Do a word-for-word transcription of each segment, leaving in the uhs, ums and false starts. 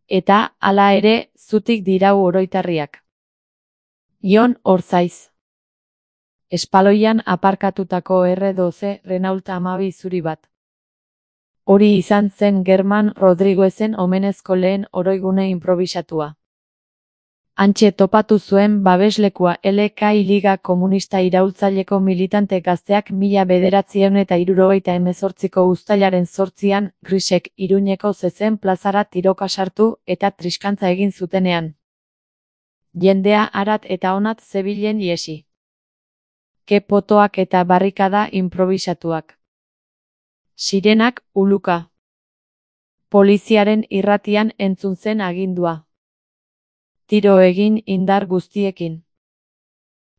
eta, hala ere, zutik dirau oroitarriak. Jon Orzaiz. Espaloian aparkatutako erre doze Renault hamabi zuri bat. Hori izan zen German Rodriguezen omenezko lehen oroigune inprobisatua. Hantxe topatu zuen babeslekua L K I Liga Komunista Iraultzaileko militante gazteak mila bederatziehun eta hirurogeita hemezortziko uztailaren zortzian Grisek Iruñeko zezen plazara tiroka sartu eta triskantza egin zutenean. Jendea harat eta honat zebilen iesi. Ke potoak eta barrikada inprobisatuak. Sirenak uluka. Poliziaren irratian entzun zen agindua. Tiro egin indar guztiekin.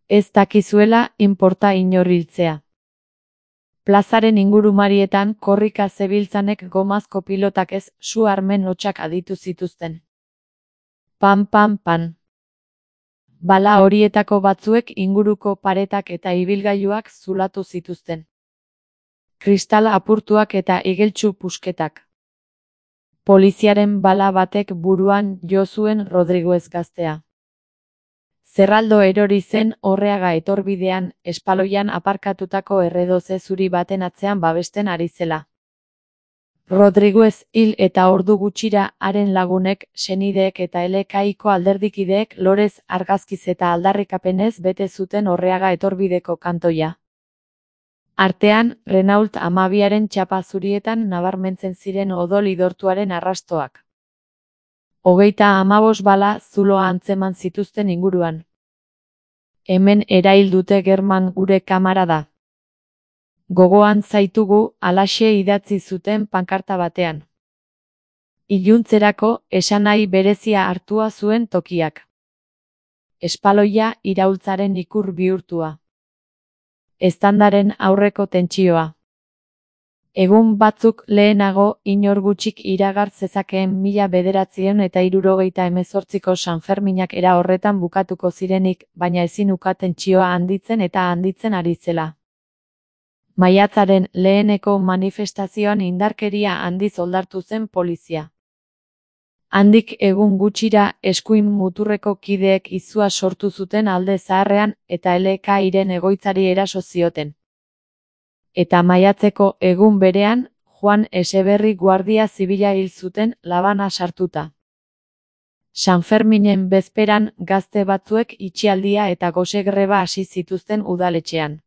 Ez dakizuela inporta inoriltzea. Plazaren ingurumarietan korrika zebiltzanek gomazko pilotak ez su armen hotsak aditu zituzten. Pan pan pan. Bala horietako batzuek inguruko paretak eta ibilgailuak zulatu zituzten. Kristal apurtuak eta igeltsu pusketak. Poliziaren bala batek buruan jo zuen Rodriguez gaztea. Zerraldo erori zen Orreaga etorbidean, espaloian aparkatutako erre doze zuri baten atzean babesten ari zela. Rodriguez hil eta ordu gutxira haren lagunek, senideek eta L K Iko alderdikideek lorez argazkiz eta aldarrikapenez bete zuten Orreaga etorbideko kantoia. Artean, Renault hamabiaren txapa zurietan nabarmentzen ziren odol idortuaren arrastoak. Hogeita hamabos bala zuloa antzeman zituzten inguruan. Hemen erail dute German gure kamarada. Gogoan zaitugu halaxe idatzi zuten pankarta batean. Iluntzerako esanahi berezia hartua zuen tokiak. Espaloia iraultzaren ikur bihurtua. Eztandaren aurreko tentsioa. Egun batzuk lehenago inor gutxik iragar zezakeen mila bederatziehun eta hirurogeita hemezortziko Sanferminak era horretan bukatuko zirenik, baina ezin uka tentsioa handitzen eta handitzen ari zela. Maiatzaren leheneko manifestazioan indarkeria handiz oldartu zen polizia. Handik egun gutxira eskuin muturreko kideek izua sortu zuten alde zaharrean eta L K Iren egoitzari eraso zioten. Eta maiatzeko egun berean, Juan Eseberri guardia zibila hil zuten labana sartuta. Sanferminen bezperan gazte batzuek itxialdia eta gose greba hasi zituzten udaletxean.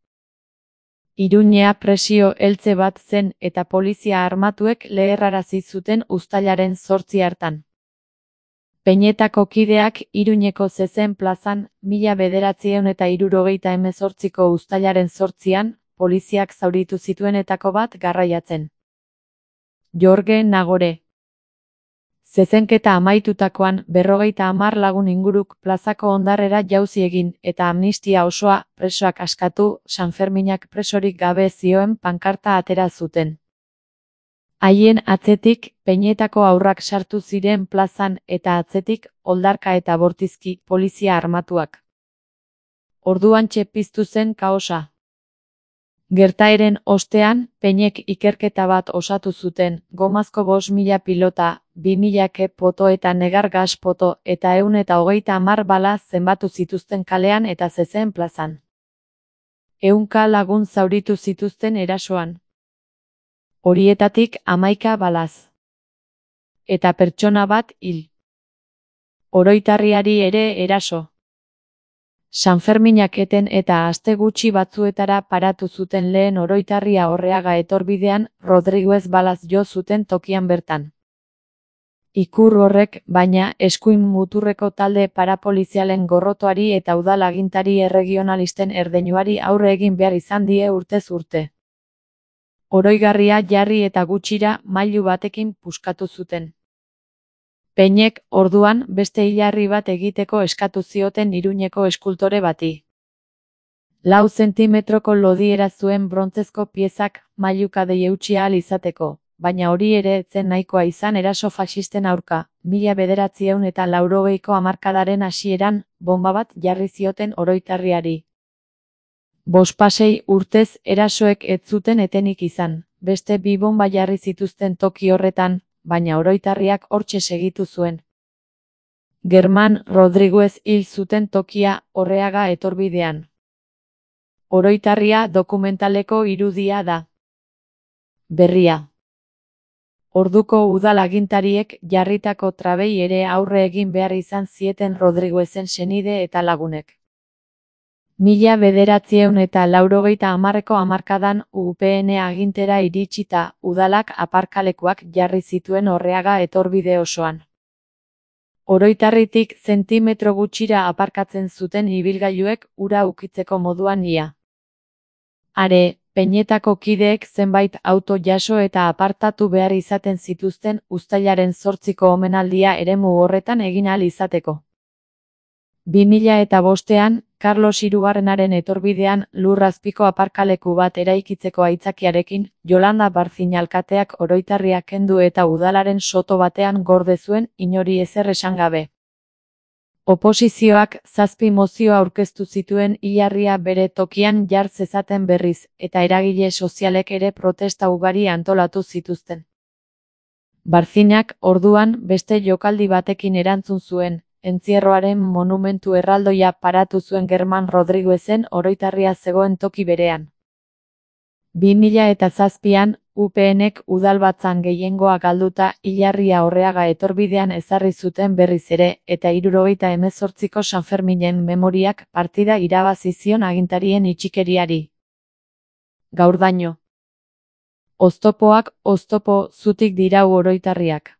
Iruñea presio heltze bat zen eta polizia armatuek leherrarazi zuten uztailaren zortzi hartan. Peñetako kideak Iruñeko zezen plazan, mila bederatziehun eta hirurogeita hemezortziko uztailaren zortzian, poliziak zauritu zituenetako bat garraiatzen. Jorge Nagore. Zezenketa amaitutakoan berrogeita hamar lagun inguruk plazako ondarrera jauzi egin eta amnistia osoa presoak askatu Sanferminak presorik gabe zioen pankarta atera zuten. Haien atzetik Peñetako aurrak sartu ziren plazan eta atzetik oldarka eta bortizki polizia armatuak. Orduantxe piztu zen kaosa. Gertaeren ostean, Peñek ikerketa bat osatu zuten, gomazko bost mila pilota, bi mila ke poto eta negar gas poto eta ehun eta hogeita hamar bala zenbatu zituzten kalean eta zezen plazan. Ehunka lagun zauritu zituzten erasoan. Horietatik hamaika balaz. Eta pertsona bat hil. Oroitarriari ere eraso. Sanferminak eten eta aste gutxi batzuetara paratu zuten lehen oroitarria Orreaga etorbidean, Rodriguez balaz jo zuten tokian bertan. Ikur horrek, baina, eskuin muturreko talde parapolizialen gorrotoari eta udal agintari erregionalisten erdeinuari aurre egin behar izan die urtez urte. Oroigarria jarri eta gutxira mailu batekin puskatu zuten. Peñek, orduan, beste hilarri bat egiteko eskatu zioten Iruñeko eskultore bati. Lau zentimetroko lodiera zuen brontzezko piezak mailukadei eutsi ahal izateko, baina hori ere ez zen nahikoa izan eraso faxisten aurka, mila bederatziehun eta laurogeiko hamarkadaren hasieran, bonba bat jarri zioten oroitarriari. Bospasei urtez erasoek ez zuten etenik izan, beste bi bonba jarri zituzten toki horretan, baina oroitarriak hortxe segitu zuen. Germán Rodriguez hil zuten tokia Orreaga etorbidean. Oroitarria dokumentaleko irudia da. Berria. Orduko udal agintariek jarritako trabei ere aurre egin behar izan zieten Rodriguezen senide eta lagunek. Mila bederatziehun eta laurogeita hamarreko hamarkadan U P N agintera iritsita udalak aparkalekuak jarri zituen Orreaga etorbide osoan. Oroitarritik zentimetro gutxira aparkatzen zuten ibilgailuek ura ukitzeko moduan ia. Are, Peñetako kideek zenbait auto jaso eta apartatu behar izaten zituzten uztailaren zortziko omenaldia eremu horretan egin ahal izateko. Bi mila eta bostean, Carlos hirugarrenaren etorbidean lurrazpiko aparkaleku bat eraikitzeko aitzakiarekin, Yolanda Barzin alkateak oroitarria kendu eta udalaren soto batean gorde zuen inori ezer esan gabe. Oposizioak zazpi mozio aurkeztu zituen hilarria bere tokian jar zezaten berriz, eta eragile sozialek ere protesta ugari antolatu zituzten. Barzinak, orduan, beste jokaldi batekin erantzun zuen, entzierroaren monumentu erraldoia paratu zuen Germán Rodriguezen oroitarria zegoen toki berean. Bi mila eta zazpian, U PNek udalbatzan gehiengoa galduta hilarria Orreaga etorbidean ezarri zuten berriz ere, eta hirurogeita hemezortziko Sanferminen memoriak partida irabazi zion agintarien itxikeriari. Gaurdaino. Oztopoak oztopo zutik dirau oroitarriak.